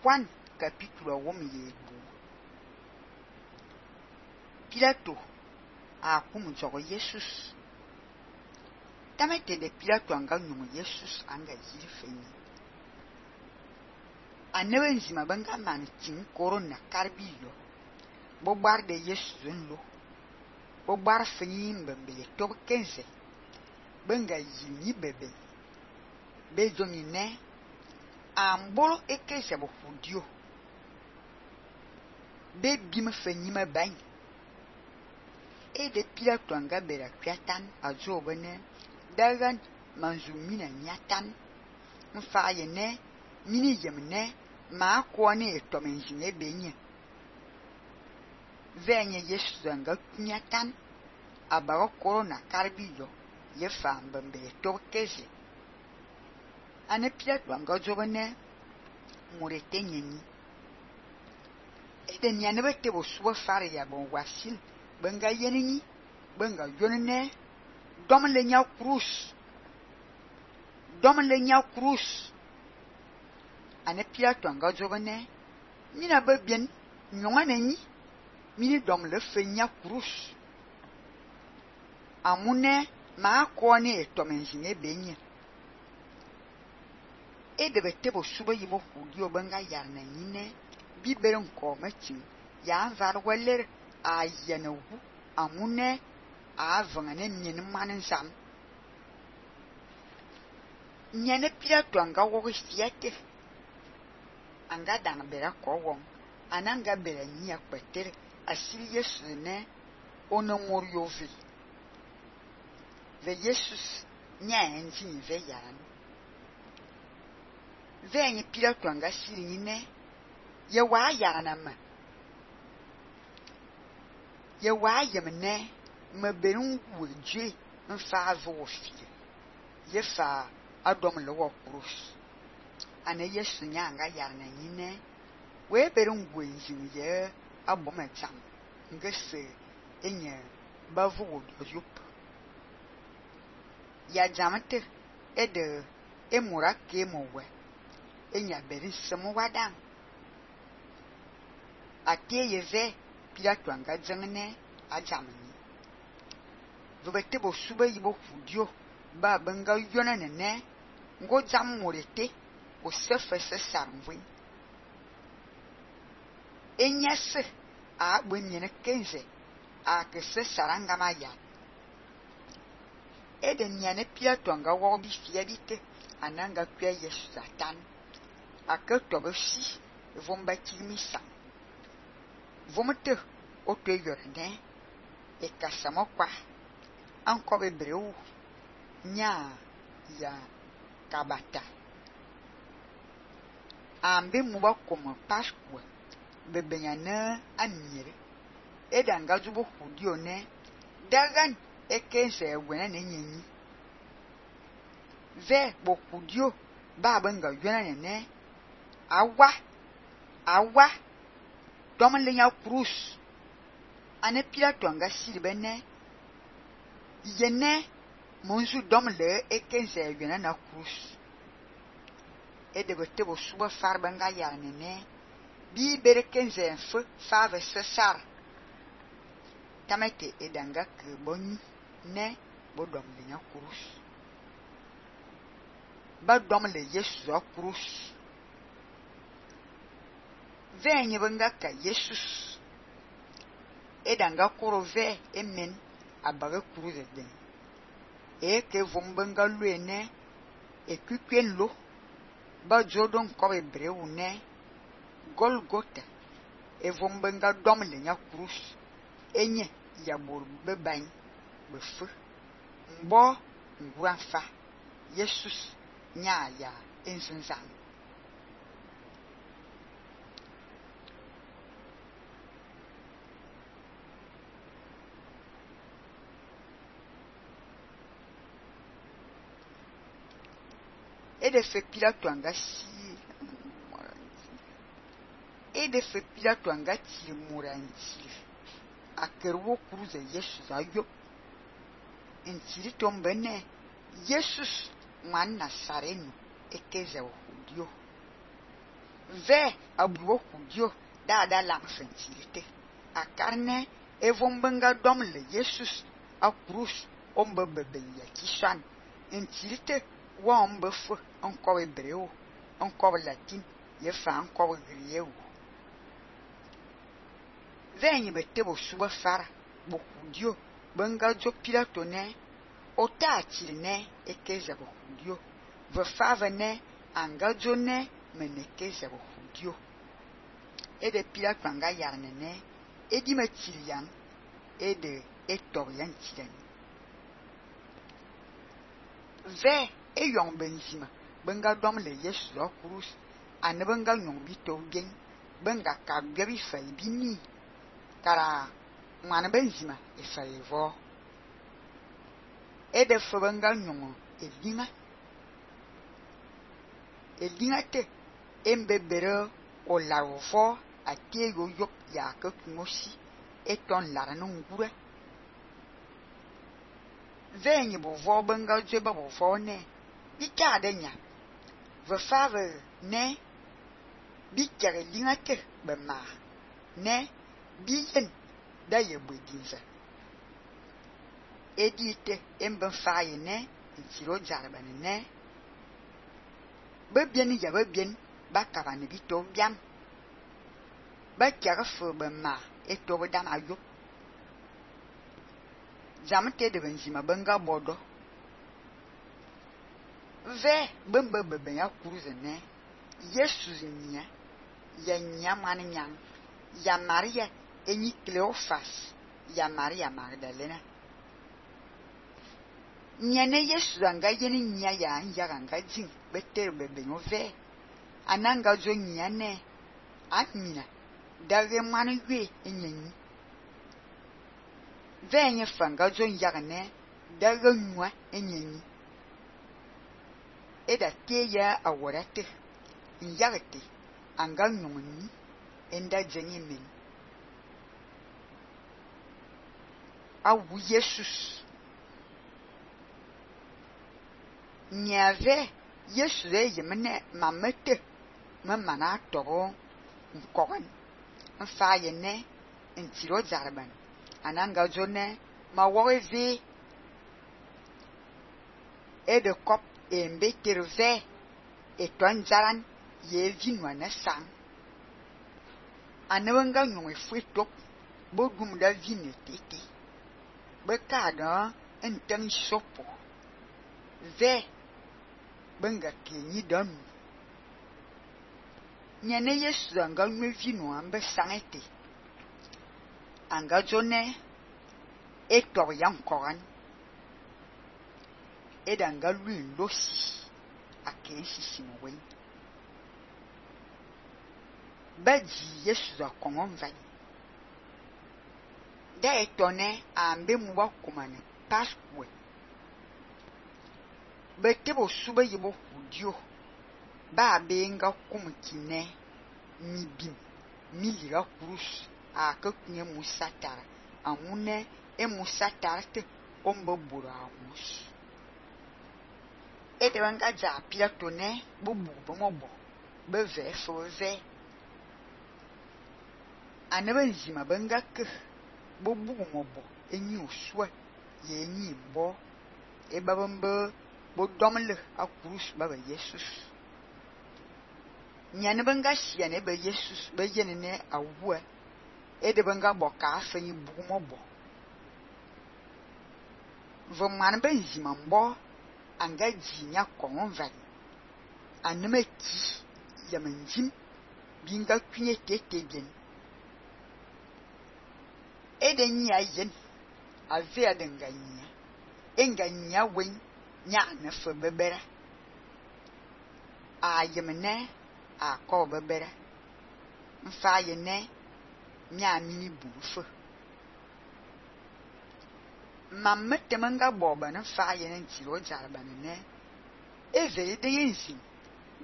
Juan capítulo 1 Pilato a kum zogo Jesus. Tamete de Pilato anga nyumu Jesus anga yiri fenyi. Anewe nzima banga mani ting korona karbiyo. Bobar de Jesus nlo. Bobar fenyi mbembele tob kenze. Benga yini bebe. Bezonyi ne. Ambolo ekeze bo fudio. Bebi me fenyi me bany. E de Pilato anga bera kwiatan azo bene. Dagan manzumina nyatan. Mfaye ne. Mini yem ne. Ma kwani etomenzine benye. Venye Yesu anga kunyatan. Abaro korona karbiyo. Yefa mbembe tokeze. Ane Pilato anga zo bene. Murete nyenyi. Ede nyane te bo suba fare ya bon wasil. Benga yenini. Benga yonene. Dom le nya cruz. Dom le nya cruz. Ane Pilato anga zo bene. Mina bebien. Nyongane nyi. Mini dom le fe nya cruz. Amune ma kwani etomenzine benye. Ede bete bo suba yibo hudio benga yarna nyine. Bibere nko metim. Ya anvar weler a yene wu. Amune a vangane mien manen sam. Nyene Pilato anga wogo siete. Anga dang bera ko wong. Ananga bera nyia kwetere. Asili Yesu ne. Ono morio vi. Ve Jesus nya enzi ve yaran. Ve nye Pilato anga siri nyine. Ye wa yarana ma. Ye wa yemne. Me berun wujwe. Mfa avo fie. Ye fa adom le wo krus. Ane Yesu nya anga yarana nyine. We berun wujwe ye abome cham. Ngese enye bavo wodojup. Ya jamante ede emura kemowe. Enya beri semu wadang. Ate yeve Pilato anga jengene ajamani. Vobete bo suba yibo fudio. Ba benga yona nene. Ngo jam morete. O sefe se sarmvin. Enya se a bwenyene kenze. A ke se saranga maya. Ede nyane Pilato anga wobi fiabite. Ananga kwe Yesu satan. Ake tobe si. Vomba kilmisa. Vomete oto yorene. E kasamo kwa. Ankobe breu. Nya ya kabata. Ambe muba como Pascua. Bebenyane amire. Ede anga zubo hudio ne. Dagan ekense wena ne nyenyi. Ve bo hudio. Ba benga yona ne. Awa. Dom le nya cruz. Ane Pilato anga siribe ne. Yene. Monzu dom le ekense yona na cruz. Ede bete bo suba farba nga yarne ne. Bi bere kenze enfe fave sesar. Tamete edanga ke boni ne bo dom le nya cruz. Ba dom le Yesu a cruz. Venye benga ka Jesus. Edanga koro ve emen abaga cruz eden. E ke vombenga luene e kukwen lo. Ba jodon kobe breu ne. Golgota. E vombenga dom le nya cruz. Enye ya bor bebany. Befe. Mbo ngwanfa. Jesus nya ya enzenzan. Ede fe Pilato anga si. Ede fe Pilato anga ti muranti. Akerwo cruze Jesus ayo. Entiri tombene. Jesus man Nazareno ekeze o judio. ve abuo kudio da lang sentirite akarne evon benga dom le Jesus a cruz ombe bebe ya kishan entirite wa ombe fo onko hebreu onko latin ye fa onko grieu venye bete bo suba fara bo kudio benga jo Pilato ne ota atine ekeza bo kudio ve fava ne anga jo ne menekeza bo kudio ede Pilato anga yarne ne edi matilian ede etorian tilen ve eyong benzima benga dom le Yesu lo cruz ane benga nyong bito gen benga ka gbebi fa bini kara mwana benzima efa evo ede fo benga nyong elinga te embebere o larvo atego yop ya ka kumosi eton larano ngure venye bo vo benga jeba bo vo ne bika denya ve fave ne bikere linga te be ma ne biyen da ye bodinza edite emben faye ne ntiro jarba ne be bien ya be bien ba kaba ne bito biam ba kere fo be ma eto be dam ayo jamte de benzima benga bodo ve bembe bebe ya kuruze ne Yesu nya ya nyamani nyang ya Maria enyi Cleophas ya Maria Magdalena nyane Yesu anga yeni nya ya anja anga jin beter bebe no ve ananga jo nyane amina dage mani gwe enyenyi venye fanga jo nyagane dage nwa enyenyi eda teya aworate nyagate anga nyongni enda jenye men awu Jesus nyave Yesu yemene mamete mamana toro nkogan mfaye ne ntiro zarban ananga jone ma wowe ede kop embe terve etonzaran ye vinwa na sang anawanga nyongwe fwetop bodum da vine tete bekada enten sopo ve benga kenyi danu nyane Yesu anga nwe vino ambe sangete anga jone etor yankoran edanga lui losi akensi simwe baji Yesu akongon vai da etone ambe muwa kumane pasque betebo suba yibo hudio ba benga kumkine mibim miliga kurus aka kunye musatara amune musatara te ombo bura amus ete wanga ja Pilato ne bubu bomobo be ve fo ve anaba nzima benga ke bubu mobo enyi osua ye enyi bo e babambe bo domle akurus baba Jesus nyane benga shia ne be Jesus be yene ne awua ede benga boka afenyi bubu mobo vo man be nzima mbo anga jinya kongon vai anema ki yamanjim binga kunye tete gen ede nya yen ave adenganya enganya wen nya na fo bebera ayemne akọ bebera mfa yene nya mini bufo mamete manga boba na fa yene ntiro jarba ne eze de yensi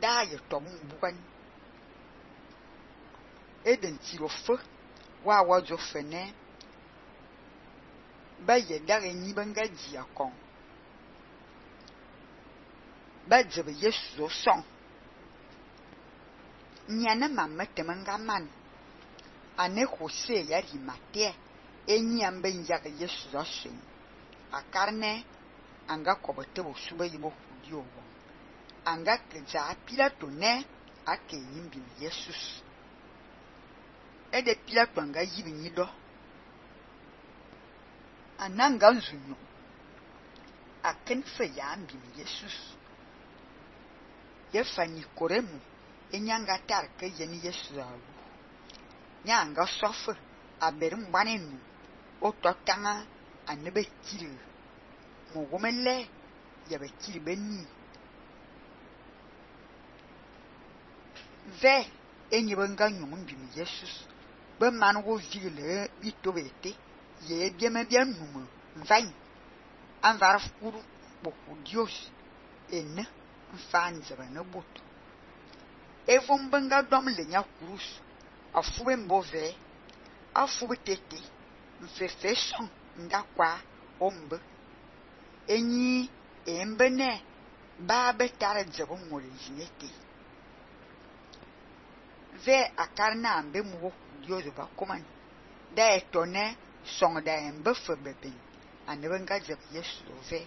da ye tom bukan eden ntiro fo wa wajo fene ba ye dare ni banga ji akon ba jebe Yesu son nyane mamma temangaman ane Jose yari mate enyam ben yaga Yesu asen akarne anga kobote bosuba yibo hudio wo anga keza Pilato ne ake yimbi Jesus ede Pilato anga yibi nyido ananga nzunyo aken fe yambi Jesus yefa Nikoremu enyanga tarke yeni Yesu alu nyanga sofe aberim banenu ototanga anebe kiri mogomele yabe kiri beni ve enyibanga nyum bi Jesus be manwo vigile bitobete ye bieme bianuma mvain anvar furu boku Dios enne mfan zebana boto evon banga dom le nya kurus afube mbove afube tete mfefe son ndakwa ombe enyi embene ba betare zebo ngole jinete ve akarna ambe muwo Dios ba komani da etone song da embe febebe ane benga zeb Yesu ve